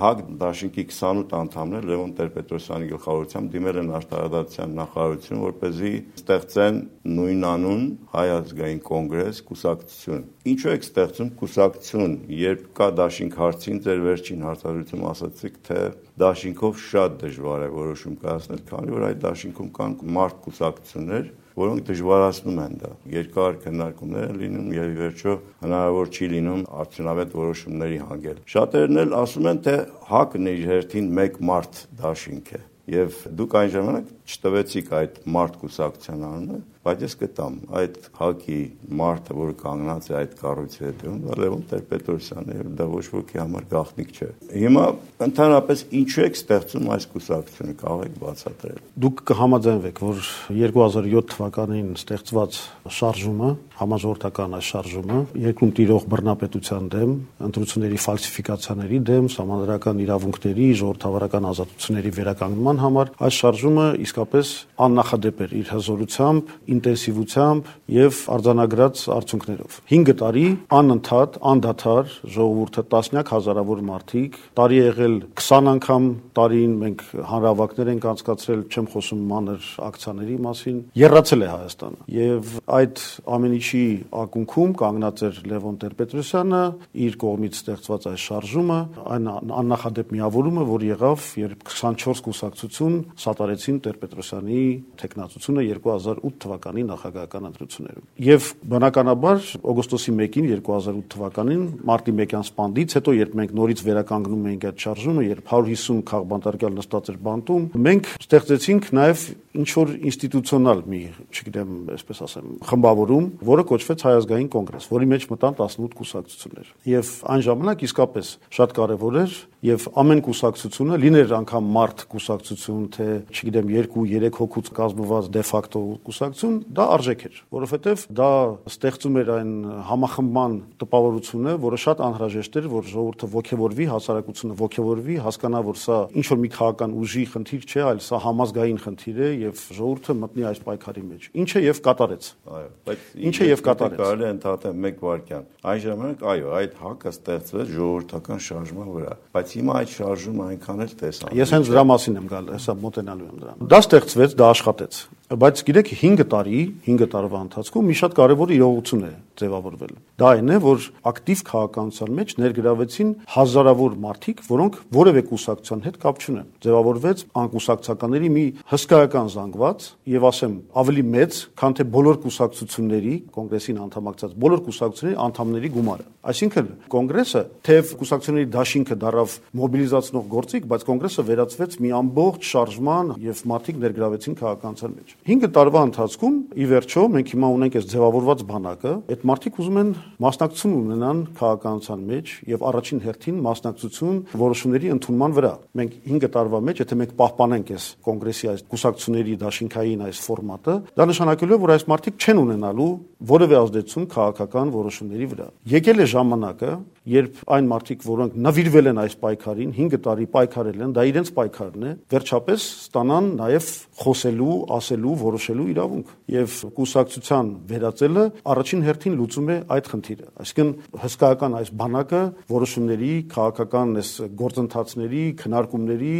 ՀԱԿ դաշինքի 28 անդամներ Լևոն Տեր-Պետրոսյանի գլխավորությամբ դիմել են արտարադատության նախարարություն, որպեսզի ստեղծեն նույնանուն Հայ ազգային կոնգրես կուսակցություն։ Ինչու եք ստեղծում կուսակցություն, երբ կա դաշինք հարցին, ձեր վերջին հարցազրույցում ասացիք, թե դաշինքով շատ դժվար է որոշում կայացնել, քանի որ այդ դաշինքում կան մարդ կուսակցություններ, որոնք դժվարացնում են դա։ Երկար քննարկումներ են լինում եւ ի վերջո հնարավոր չի լինում արդյունավետ որոշումների հանգել։ Շատերն էլ ասում են, թե ՀԱԿ-ն իր հերթին մեկ մարդ դաշինք է։ Եվ դուք այն ժամանակ չտվեցիք այդ մարդ կուսակցության անունը, բայց ես կտամ այդ ՀԱԿ-ի մարդը, որը կանգնած է այդ կառույցի հետևում, դա Լևոն Տեր-Պետրոսյանն է, եւ դա ոչ ոքի համար գաղտնիք չէ։ Հիմա ընդհանրապես ինչու եք ստեղծում այս կուսակցությունը, կարող եք բացատրել։ Դուք կհամաձայնվեք, որ 2007 թվականին ստեղծված շարժումը, համաժողովրդական այս շարժումը, երկրում տիրող բռնապետության դեմ, ընտրությունների ֆալսիֆիկացիաների դեմ, սահմանադրական իրավունքների, ժողովրդավարական ազատությունների վերականգնման համար այս շարժումը իսկապես աննախադեպ էր իր հզորությամբ, ինտենսիվությամբ եւ արձանագրած արդյունքներով։ 5 տարի անընդհատ, անդադար ժողովուրդը տասնյակ հազարավոր մարդիկ, տարի եղել 20 անգամ տարին մենք հանրահավաքներ ենք անցկացրել, չեմ խոսում մանր ակցիաների մասին, եռացել է Հայաստանը։ Եվ այդ ամեն ինչի ակունքում կանգնած էր Լևոն Տեր-Պետրոսյանը, իր կողմից ստեղծված այս շարժումը, այն աննախադեպ միավորումը, որ եղավ, երբ 24 կուսակցություն սատարեցին Տեր-Պետրոսյանի թեկնածությունը 2008 թվականի նախագահական ընտրություններում։ Եվ բնականաբար օգոստոսի 1-ին 2008 թվականին մարտի 1-յան սպանդից հետո, երբ մենք նորից վերականգնում էինք այդ շարժումը, երբ 150 քաղբանտարկյալ նստած էր բանտում, մենք ստեղծեցինք նաև ինչ-որ ինստիտուցիոնալ մի, չգիտեմ, այսպես ասեմ, խմբավորում, որը կոչվեց Հայ ազգային կոնգրես, որի մեջ մտան 18 կուսակցություններ։ Եվ այն ժամանակ իսկապես շատ կարևոր էր եւ ամեն կուսակցությունը, լիներ անգամ մարդ կուսակցություն, թե չգիտեմ 2-3 հոգուց կազմված դե ֆակտո կուսակցություն, դա արժեք էր, որովհետեւ դա ստեղծում էր այն համախմբման տպավորությունը, որը շատ անհրաժեշտ էր, որ ժողովուրդը ողջևորվի, հասարակությունը ողջևորվի, հասկանա, որ սա ինչ որ մի քաղաքական ուժի խնդիր չէ, այլ սա համազգային խնդիր է եւ ժողովուրդը մտնի այս պայքարի մեջ։ Ինչը եւ կատարեց։ Այո, բայց ինչը եւ կատարեց։ Կարելի է ընդհատել 1 վայրկյան։ Այն ժամանակ, այո, այդ ՀԱԿ-ը ստեղծվեց ժողովրդական շարժման վրա, բայց հիմա այդ շարժումը այնքան էլ տեսանելի։ Ես հենց դրա մասին եմ գալ, հեսա մոտենալու եմ դրան։ Դա ստեղծվեց, դա աշխատեց։ Բայց գիտեք 5 տարվա ընթացքում մի շատ կարևոր իրողություն է ձևավորվել։ Դա այն է, որ ակտիվ քաղաքականության մեջ ներգրավեցին հազարավոր մարդիկ, որոնք որևէ կուսակցության հետ կապ չունեն։ Ձևավորվեց անկուսակցականների մի հսկայական զանգված եւ ասեմ ավելի մեծ, քան թե բոլոր կուսակցությունների, կոնգրեսին անդամակցած բոլոր կուսակցությունների անդամների գումարը։ Այսինքն կոնգրեսը թեև կուսակցությունների դաշինքը դարավ մոբիլիզացնող գործիք, բայց կոնգրեսը վերածվեց մի ամբողջ շարժման եւ մարդիկ ներգրավեցին քաղաքականության մեջ։ 5 տարվա ընթացքում ի վերջո մենք հիմա ունենք այս ձևավորված բանակը, այդ մարդիկ ուզում են մասնակցություն ունենան քաղաքականության մեջ եւ առաջին հերթին մասնակցություն որոշումների ընդունման վրա։ Մենք 5 տարվա մեջ, եթե մենք պահպանենք այս կոնգրեսի այս կուսակցությունների դաշինքային այս ֆորմատը, դա նշանակելու է, որ այս մարդիկ չեն ունենալու որևէ ազդեցություն քաղաքական որոշումների վրա։ Եկել է ժամանակը, երբ այն մարդիկ, որոնք նվիրվել են այս պայքարին, 5 տարի պայքարել են, դա իրենց պայքարն է, վերջապես ստանան նաև խոսելու, ասելու, որոշելու իրավունք։ Եվ կուսակցության վերածելը առաջին հերթին լուծում է այդ խնդիրը։ Այսինքն հսկայական այս բանակը որոշումների, քաղաքական այս գործընթացների, քննարկումների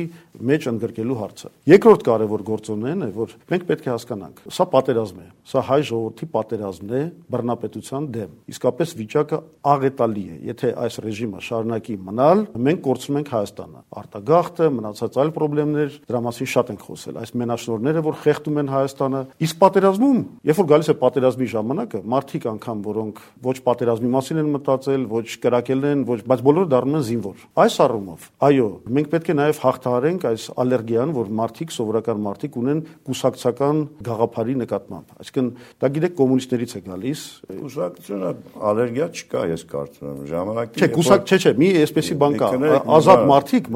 մեջ ընդգրկելու հարցը։ Երկրորդ կարևոր գործոնն է, որ մենք պետք է հասկանանք, սա պատերազմ է, սա հայ ժողովրդի պատերազմն է բռնապետության դեմ։ Իսկապես վիճակը աղետալի է։ Եթե այս ռեժիմը շարունակի մնալ, մենք կորցնում ենք Հայաստանը։ Արտագաղթը, մնացած այլ խնդիրներ, դրա մասին շատ ենք խոսել։ Այս մենաշնորհները, որ խեղդում են Հայաստանը, իսկ պատերազմում, երբ որ գալիս է պատերազմի ժամանակը, մարդիկ անգամ, որոնք ոչ պատերազմի մասին են մտածել, ոչ կրակել են, ոչ, բայց բոլորը դառնում են զինվոր։ Այս առումով, այո, մենք պետք է նաև հաղթահարենք այս ալերգիան, որ մարդիկ, սովորական մարդիկ ունեն կուսակցական գաղափարի նկատմամբ։ Այսինքն, դա գիտեք կոմունիստներից է գալիս։ Կուսակցությունը ալերգիա չկա, ես կարծում եմ, ժամանակի։ Չէ, մի այսպեսի բան կա, ազատ մարդիկ,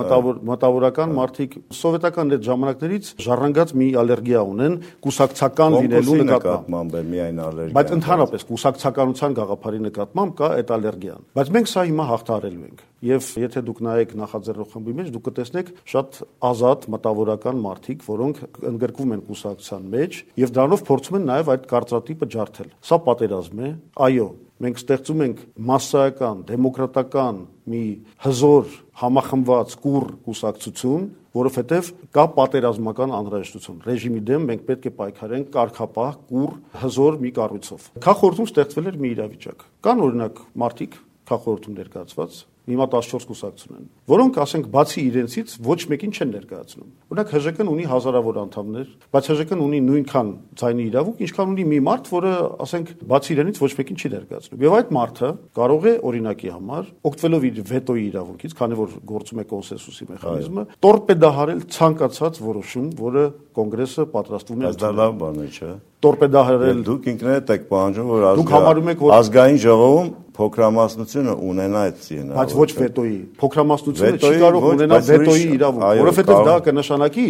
մտավորական մարդիկ սովետական այդ ժամանակներից ժառանգած մի ալերգիա ունեն կուսակցական լինելու նկատմամբ, միայն ալերգիա։ Բայց ընդհանրապես կուսակցականության գաղափարի նկատմամբ կա այդ ալերգիան։ Բայց մենք սա հիմա հաղթահարելու ենք։ Եվ եթե դուք նայեք նախաձեռնող խմբի մեջ, դուք կտեսնեք շատ ազատ մտավորական մարդիկ, որոնք ընդգրկվում են կուսակցության մեջ եւ դրանով փորձում են նաեւ այդ կարծրատիպը ջարդել։ Սա պատերազմ է, այո, մենք ստեղծում ենք մասսայական, դեմոկրատական մի հզոր, համախմբված կուռ կուսակցություն, որովհետև կա պատերազմական անհրաժեշտություն։ Ռեժիմի դեմ մենք պետք է պայքարենք կարգապահ, կուռ, հզոր մի կառույցով։ Քաղաքորդում ստեղծվել էր մի իրավիճակ։ Կան օրինակ մարդիկ քաղաքորդում ներկայացված, հիմա 14 կուսակցություն են, որոնք, ասենք, բացի իրենցից ոչ մեկին չեն ներկայացնում։ Օրինակ ՀԺԿ-ն ունի հազարավոր անդամներ, բայց ՀԺԿ-ն ունի նույնքան ձայնի իրավունք, ինչքան ունի մի մարդ, որը, ասենք, բացի իրենից ոչ մեկին չի ներկայացնում։ Եվ այդ մարդը կարող է օրինակի համար, օգտվելով իր վետոյի իրավունքից, քանի որ գործում է կոնսենսուսի մեխանիզմը, տորպեդահարել ցանկացած որոշում, որը կոնգրեսը պատրաստվում է ընդունել։ Դա լավ բան է, չէ՞։ Տորպեդահարել։ Դուք ինքներդ եք պահանջում, որ ազգային ժողովում փոքրամասնությունը ունենա այդ ցինը։ Բայց ոչ վետոյի։ Փոքրամասնությունը չի կարող ունենալ վետոյի իրավունք, որովհետև դա կնշանակի,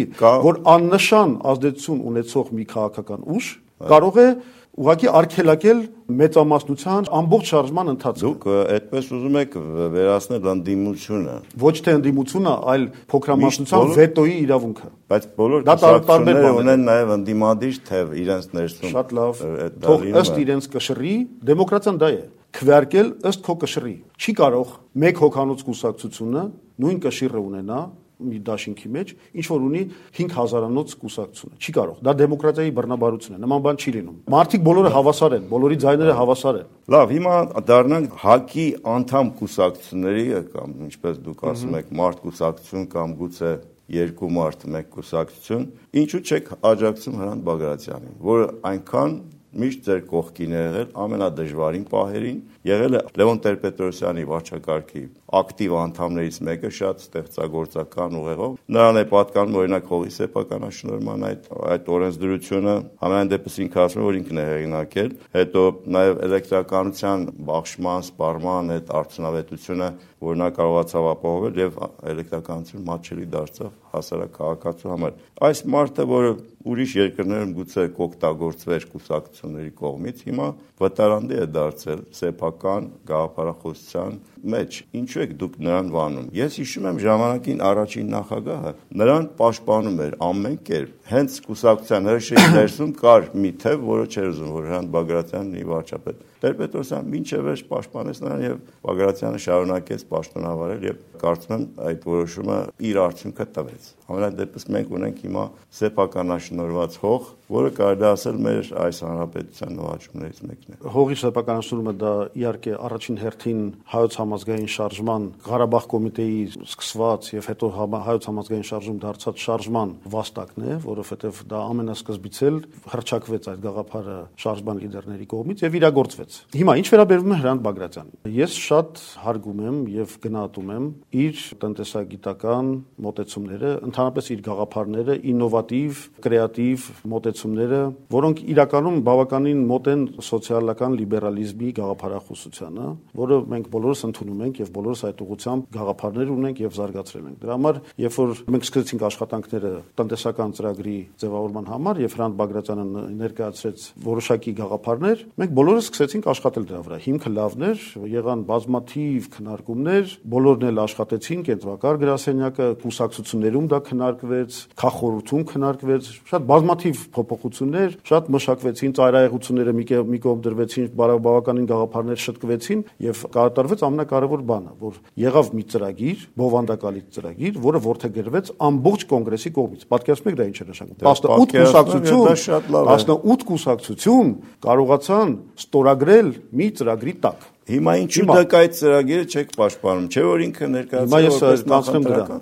որ աննշան ազդեցություն ունեցող մի քաղաքական ուժ կարող է ուղղակի արգելակել մեծամասնության ամբողջ շարժման ընթացքը։ Դուք այդպես ուզում եք վերացնել ընդդիմությունը։ Ոչ թե ընդդիմությունը, այլ փոքրամասնության վետոյի իրավունքը։ Բայց բոլոր կուսակցությունները ունեն նաև ընդդիմադիր թեւ իրենց ներսում։ Շատ լավ։ Թող ըստ իրենց կշռի, դեմոկրատիան դա է։ Քվեարկել ըստ քո կշռի։ Չի կարող մեկ հոգանոց կուսակցությունը նույն կշիռը ունենա մի դաշինքի մեջ, ինչ որ ունի 5000-անոց կուսակցությունը։ Չի կարող։ Դա դեմոկրատիայի բռնաբարություն է։ Նման բան չի լինում։ Մարդիկ բոլորը հավասար են, բոլորի ձայները հավասար են։ Լավ, հիմա դառնանք ՀԱԿ-ի անդամ կուսակցությունների կամ ինչպես դուք ասում եք, մարդ կուսակցություն կամ գուցե երկու մարդ մեկ կուսակցություն, ինչու չեք աջակցում Հրանտ Բագրատյանին, որը այնքան միշտ ձեր կողքին է եղել ամենադժվարին պահերին, եղել է Լևոն Տեր-Պետրոսյանի վարչակարգի ակտիվ անդամներից մեկը, շատ ստեղծագործական ուղեղով։ Նրան է պատկանում օրինակ հողի սեփականաշնորհման այդ օրենսդրությունը, համենայն դեպս ինքը ասում է, որ ինքն է հեղինակել, հետո նաև էլեկտրականության բաշխման, սպառման այդ արդյունավետությունը, որ նա կարողացավ ապահովել եւ էլեկտրականություն մատչելի դարձավ հասարակ քաղաքացու համար։ Այս մարդը, որը ուրիշ երկրներում գուցե կօգտագործվեր կուսակցությունների կողմից, հիմա վտարանդի է դարձել սեփական գաղափարախոսության մեջ։ Ինչու եք դուք նրան վանում։ Ես հիշում եմ ժամանակին առաջին նախագահը նրան պաշտպանում էր ամեն կերպ։ Հենց կուսակցության հրշեջի ներսում կար մի թեւ, որը չէր ուզում, որ Հրանտ Բագրատյանն լինի վարչապետ։ Տեր-Պետրոսյանը մինչև վերջ պաշտպանեց նրան եւ Բագրատյանը շարունակեց պաշտոնավարել եւ կարծում եմ այդ որոշումը իր արդյունքը տվեց։ Համենայն դեպս մենք ունենք հիմա սեփականաշնորհված հող, որը կարելի ասել մեր այս հանրապետության նվաճումներից մեկն է։ Հողի սեփականաշնորհումը դա իհարկե առաջին հերթին հայոց համազգային շարժման Ղարաբաղ կոմիտեի սկսված եւ հետո հայոց համազգային շարժում դարձած շարժման վաստակն է, որովհետեւ դա ամենասկզբից էլ հռչակվեց այդ գաղափարը շարժման լիդերների կողմից եւ իրագործվեց։ Հիմա ինչ վերաբերում է Հրանտ Բագրատյանին, ես շատ հարգում եմ եւ գնահատում եմ իր տնտեսագիտական մոտեցումները, ընդհանրապես իր գաղափարները, ինովատիվ, կրեատիվ մոտեցումները, որոնք իրականում բավականին մոտ են սոցիալական լիբերալիզմի գաղափարախոսությանը, որը մենք բոլորս ընդունում ենք եւ բոլորս այդ ուղղությամբ գաղափարներ ունենք եւ զարգացրել ենք։ Դրա համար, երբ որ մենք սկսեցինք աշխատանքները տնտեսական ծրագրի ձևավորման համար եւ Հրանտ Բագրատյանը ներկայացրեց որոշակի գաղափարներ, մենք բոլորս սկսեցինք աշխատել դրա վրա։ Հիմքը լավն էր, եղան բազմաթիվ քննարկումներ, բոլորն էլ աշխատեցին, կենտրոնակարգ գրասենյակը, կուսակցություններում դա քննարկվեց, քաղաքորությունում քննարկվեց, շատ բազմաթիվ փոփոխություններ, շատ մշակվեցին, ծայրահեղությունները մի կողմ դրվեցին, բավականին գաղափարներ շտկվեցին եւ կատարվեց ամենակարևոր բանը, որ եղավ մի ծրագիր, բովանդակալի ծրագիր, որը որդեգրվեց ամբողջ կոնգրեսի կողմից։ Պատկերացնում եք դա ինչ է նշանակում։ 18 կուսակցություն կարողացան ստորագրել մի ծրագրի տակ։ Հիմա ինչու դուք այդ ծրագիրը չեք պաշտպանում, չէ՞ որ ինքը ներկայացրել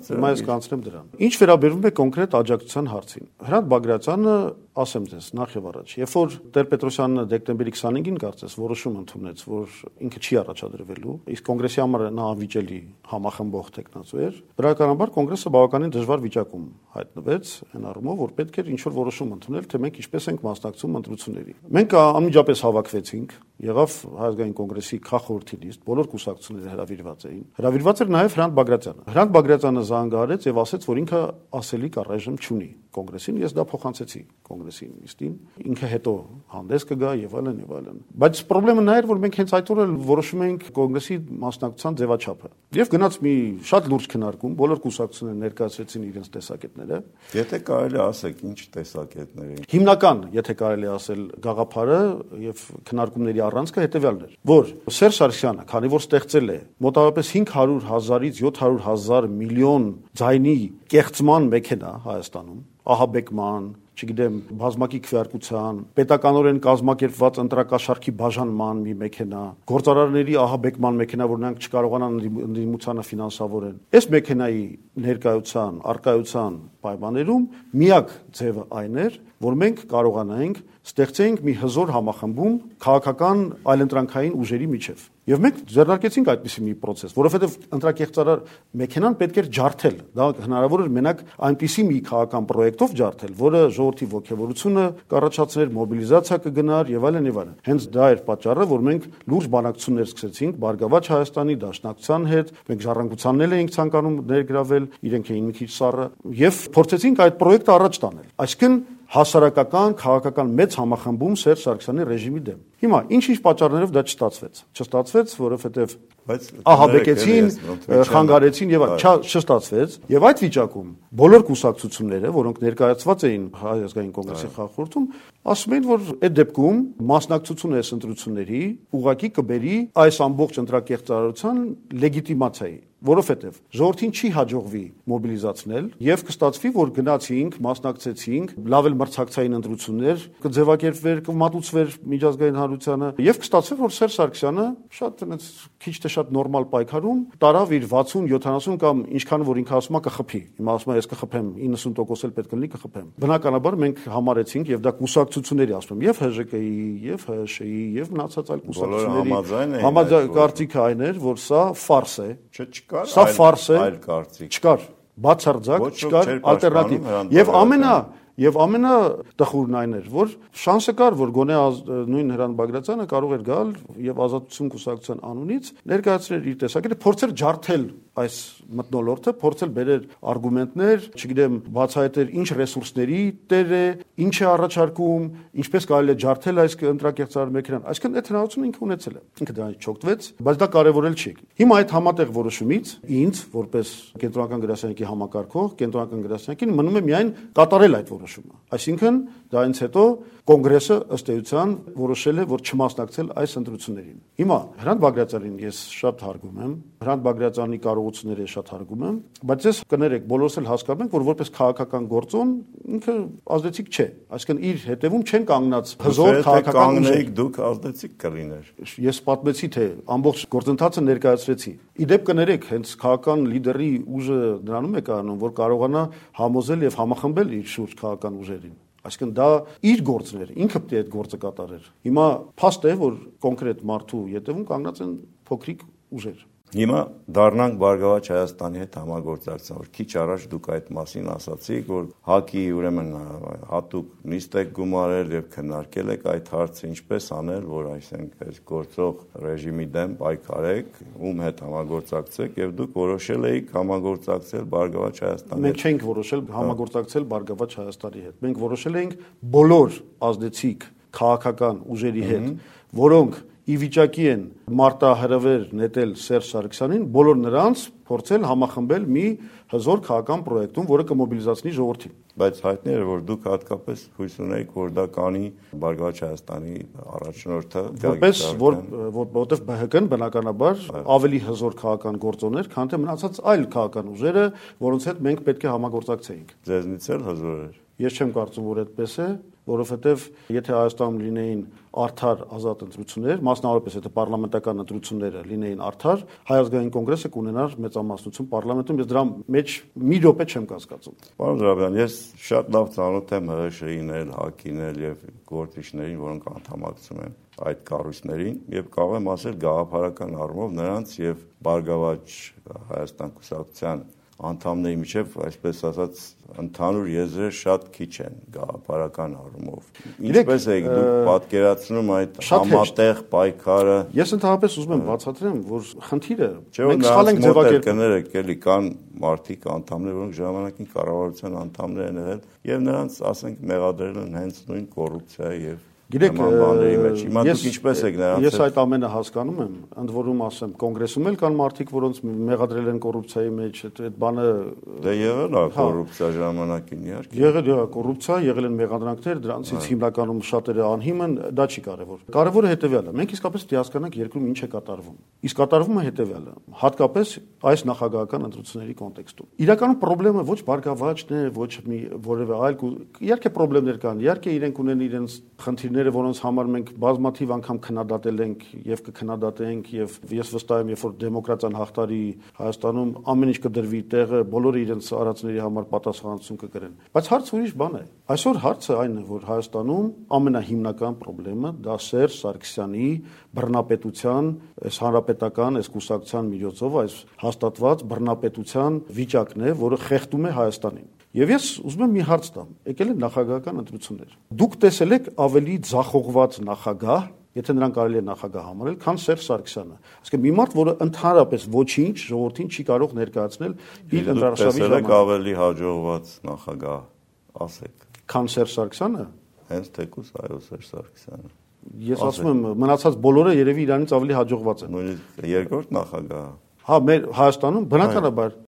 Հիմա ես կանցնեմ դրան։ Ինչ վերաբերում է կոնկրետ աջակցության հարցին։ Հրանտ Բագրատյանը, ասեմ ձեզ, նախ եւ առաջ, երբ որ Տեր-Պետրոսյանը դեկտեմբերի 25-ին կարծես որոշում ընդունեց, որ ինքը չի առաջադրվելու, իսկ կոնգրեսի համար նա անվիճելի համախմբող տեխնացու էր, բնականաբար կոնգրեսը բավականին դժվար վիճակում հայտնվեց այն առումով, որ պետք էր ինչ-որ որոշում ընդունել, թե մենք ինչպես ենք մասնակցում ընտրությունների։ Մենք անմիջապես հավաքվեցինք, եղավ Հայազգային կոնգրեսի քաղաքորդի լիստ, բոլոր կուսակցությունները հրավիրված էին։ Հրավիրված էր նաև Հրանտ Բագրատյանը։ Հրանտ Բագրատյանը զանգահարեց եւ ասաց, որ ինքը ասելիք առայժմ չունի։ կոնգրեսին, ես դա փոխանցեցի կոնգրեսի նիստին, ինքը հետո հանդես կգա եւ այլն եւ այլն։ Բայց խնդրեմը նա էր, որ մենք հենց այդ օրը որոշում էինք կոնգրեսի մասնակցության ձևաչափը։ Եվ գնաց մի շատ լուրջ քննարկում, բոլոր կուսակցությունները ներկայացրեցին իրենց տեսակետները։ Եթե կարելի ասեք, ինչ տեսակետներ էին։ Հիմնական, եթե կարելի ասել, գաղափարը եւ քննարկումների առանցքը հետեւյալն էր, որ Սերժ Սարգսյանը, քանի որ ստեղծել է մոտավորապես 500,000-ից 700,000 միլիոն ձայնի կեղծման մեքենա Հայաստանում, ահաբեկման, չգիտեմ, բազմակի քվեարկության, պետականորեն կազմակերպված ընտրակաշառքի բաժանման մի մեքենա, գործարարների ահաբեկման մեքենա, որ նրանք չկարողանան ընդդիմությանը ֆինանսավորեն։ Այս մեքենայի ներկայության, արկայության պայմաններում միակ ձևը այն էր, որ մենք կարողանայինք ստեղծենք մի հզոր համախմբում քաղաքական այլընտրանքային ուժերի միջև։ Եվ մենք ձեռնարկեցինք այդպիսի մի process, որովհետև ընտրակեղծարար մեքենան պետք էր ջարդել։ Դա հնարավոր էր մենակ այնպիսի մի քաղաքական պրոյեկտով ջարդել, որը ժողովրդի ողջավորությունը կառաջացներ, մոբիլիզացիա կգնար եւ այլն եւ այլն։ Հենց դա էր պատճառը, որ մենք լուրջ բանակցություններ սկսեցինք Բարգավաճ Հայաստանի Դաշնակցության հետ, մենք ժառանգությանն էլ էինք ցանկանում ներգրավել, իրենք էին մի քիչ սառը եւ փորձեցինք այդ պրոյեկտը առաջ տանել։ Այսինքն հասարակական, քաղաքական մեծ համախմբում Սերժ Սարգսյանի ռեժիմի դեմ։ Հիմա ինչ-ինչ պատճառներով դա չստացվեց։ Չստացվեց, որովհետև ահաբեկեցին, խանգարեցին եւ չստացվեց։ Եվ այդ վիճակում բոլոր կուսակցությունները, որոնք ներկայացված էին Հայ ազգային կոնգրեսի խաղաղորդում, ասում էին, որ այդ դեպքում մասնակցությունը այս ընտրությունների ուղղակի կբերի այս ամբողջ ընտրակեղծարարության լեգիտիմացիայի, որովհետև ժողովրդին չի հաջողվի մոբիլիզացնել եւ կստացվի, որ գնացինք, մասնակցեցինք, լավ էլ մրցակցային ընտրություններ կձևակերպվեր, կմատուցվեր միջազգային հանրությանը եւ կստացվի, որ Սերժ Սարգսյանը շատ այնց քիչ թե շատ նորմալ պայքարում տարավ իր 60-70 կամ ինչքան որ ինքը ասում է կխփի։ Հիմա ասում է ես կխփեմ 90% էլ պետք է լինի կխփեմ։ Բնականաբար մենք համարեցինք եւ դա կուսակցությունների ասում եմ, եւ ՀԺԿ-ի, եւ ՀՇ-ի, եւ մնացած այլ կուսակցությունների համաձայն կարծիքը այն էր, որ սա ֆարս է։ Սա ֆարս է, այլ կարծիք չկար, բացարձակ չկար ալտերնատիվ։ Եվ ամենատխուրն այն էր, որ շանսը կար, որ գոնե նույն Հրանտ Բագրատյանը կարող էր գալ եւ Ազատություն կուսակցության անունից ներկայացնել իր տեսակետը, փորձել ջարդել այս մթնոլորտը, փորձել բերել արգումենտներ, չգիտեմ, բացահայտել ինչ ռեսուրսների տեր է, ինչ է առաջարկում, ինչպես կարելի է ջարդել այս ընտրակեղծարար մեքենան։ Այսինքն այդ հնարավորությունը ինքը ունեցել է։ Ինքը դրանից չօգտվեց, բայց դա կարևորել չի։ Հիմա այդ համատեղ որոշումից ինձ, որպես կենտրոնական գրասենյակի համակարգող, կենտրոնական գրասենյակին մնում է միայն կատարել այդ որոշումը։ Այսինքն դրանից հետո կոնգրեսը ըստ էության որոշել է, որ չմասնակցել այս ընտրություններին։ Հիմա Հրանտ Բագրատյանին ես շատ հարգում եմ, Հրանտ Բագրատյանի կարողությունները շատ հարգում եմ, բայց ես կներեք, բոլորս էլ հասկանում ենք, որ որպես քաղաքական գործոն ինքը ազդեցիկ չէ։ Այսինքն իր հետևում չեն կանգնած հզոր քաղաքական ուժեր։ Դուք ազդեցիկ կլիներ։ Ես պատմեցի, թե ամբողջ գործընթացը ներկայացրեցի։ Իդեպ կներեք, հենց քաղաքական լիդերի ուժը նրանում է կայանում, որ կարողանա համոզել եւ համախմբել իր շուրջ քաղաքական ուժերին։ Այսինքն դա իր գործն էր, ինքը պետք է այդ գործը կատարեր։ Հիմա փաստ է, որ կոնկրետ մարդու ետևում կանգնած են փոքրիկ ուժեր։ Հիմա դառնանք Բարգավաճ Հայաստանի հետ համագործակցության, որ քիչ առաջ դուք այդ մասին ասացիք, որ ՀԱԿ-ի ուրեմն հատուկ նիստ եք գումարել եւ քննարկել եք այդ հարցը, ինչպես անել, որ այսինքն գործող ռեժիմի դեմ պայքարեք, ում հետ համագործակցեք եւ դուք որոշել եք համագործակցել Բարգավաճ Հայաստանի հետ։ Մենք չենք որոշել համագործակցել Բարգավաճ Հայաստանի հետ։ Մենք որոշել ենք բոլոր ազդեցիկ քաղաքական ուժերի հետ, որոնք ի վիճակի են մարտահրավեր նետել Սերժ Սարգսյանին, բոլոր նրանց փորձել համախմբել մի հզոր քաղաքական պրոյեկտում, որը կմոբիլիզացնի ժողովրդին։ Բայց հայտնի է, որ դուք հատկապես հույս ունեիք, որ դա կանի Բարգավաճ Հայաստանի առաջնորդը, որովհետև ԲՀԿ-ն բնականաբար ավելի հզոր քաղաքական գործոն էր, քան թե մնացած այլ քաղաքական ուժերը, որոնց հետ մենք պետք է համագործակցեինք։ Ձեզնից էլ հզոր էր։ Ես չեմ կարծում, որ այդպես է, որովհետև եթե Հայաստանում լինեին արդար ազատ ընտրություններ, մասնավորապես եթե պարլամենտական ընտրությունները լինեին արդար, Հայ ազգային կոնգրեսը կունենար մեծամասնություն պարլամենտում, ես դրա մեջ մի րոպե չեմ կասկածում։ Պարոն Զոհրաբյան, ես շատ լավ ծանոթ եմ ՀՀՇ-ին էլ, ՀԱԿ-ին էլ եւ գործիչներին, որոնք անդամակցում են այդ կառույցներին, եւ կարող եմ ասել գաղափարական առումով նրանց եւ Բարգավաճ Հայաստան կուսակցության անդամների միջև, այսպես ասած, ընդհանուր եզրեր շատ քիչ են գաղափարական առումով։ Ինչպես եք դուք պատկերացնում այդ համատեղ պայքարը։ Ես ընդհանրապես ուզում եմ բացատրեմ, որ խնդիրը մենք սխալ ենք ձևակերպել, կներեք, էլի կան մարդիկ անդամներ, որոնք ժամանակին կառավարության անդամներ են եղել եւ նրանց, ասենք, մեղադրել են հենց նույն կոռուպցիայի եւ Գիտեք, հիմա դուք ինչպես եք նրանց ես այդ ամենը հասկանում եմ, ընդ որում ասեմ, կոնգրեսում էլ կան մարդիկ, որոնց մեղադրել են կոռուպցիայի մեջ, այդ բանը դե եղել է կոռուպցիա ժամանակին, իհարկե։ Եղել է կոռուպցիա, եղել են մեղադրանքներ, դրանցից հիմնականում շատերը անհիմն, դա չի կարևոր։ Կարևորը հետեւյալն է, մենք իսկապես պետք է հասկանանք երկրում ինչ է կատարվում։ Իսկ կատարվում է հետեւյալը, հատկապես այս նախագահական ընտրությունների կոնտեքստում։ Իրականում խնդրեմը ոչ բարգավաճն է, ոչ մի որևէ այլ, իհարկե խնդիրներ կան, իհարկե իրենք ունեն իրենց խնդիրները, որոնց համար մենք բազմաթիվ անգամ քննադատել ենք եւ կքննադատենք եւ ես վստահ եմ, երբ որ դեմոկրատիան հաղթարի Հայաստանում, ամեն ինչ կդրվի տեղը, բոլորը իրենց արածների համար պատասխանատվություն կկրեն։ Բայց հարցը ուրիշ բան է։ Այսօր հարցը այն է, որ Հայաստանում ամենահիմնական խնդրեմը դա Սերժ Սարգսյանի բռնապետության, այս հանրապետական, այս կուսակցության միջոցով այս հաստատված բռնապետության վիճակն է, որը խեղդում է Հայաստանին։ Եվ ես ուզում եմ մի հարց տամ, եկել են նախագահական ընտրություններ։ Դուք տեսել եք ավելի ձախողված նախագահ, եթե նրան կարելի է նախագահ համարել, քան Սերժ Սարգսյանը։ Այսինքն մի մարդ, որը ընդհանրապես ոչինչ ժողովրդին չի կարող ներկայացնել իր ընտրաշավի ժամանակ։ Տեսել եք ավելի հաջողված նախագահ, ասեք։ Քան Սերժ Սարգսյանը։ Հենց թեկուզ այո Սերժ Սարգսյանը։ Ես ասում եմ, մնացած բոլորը երևի իրանից ավելի հաջողված են։ Նույնիսկ երկրորդ նախագահը։ Հա, մեր Հայաստանում բնականաբար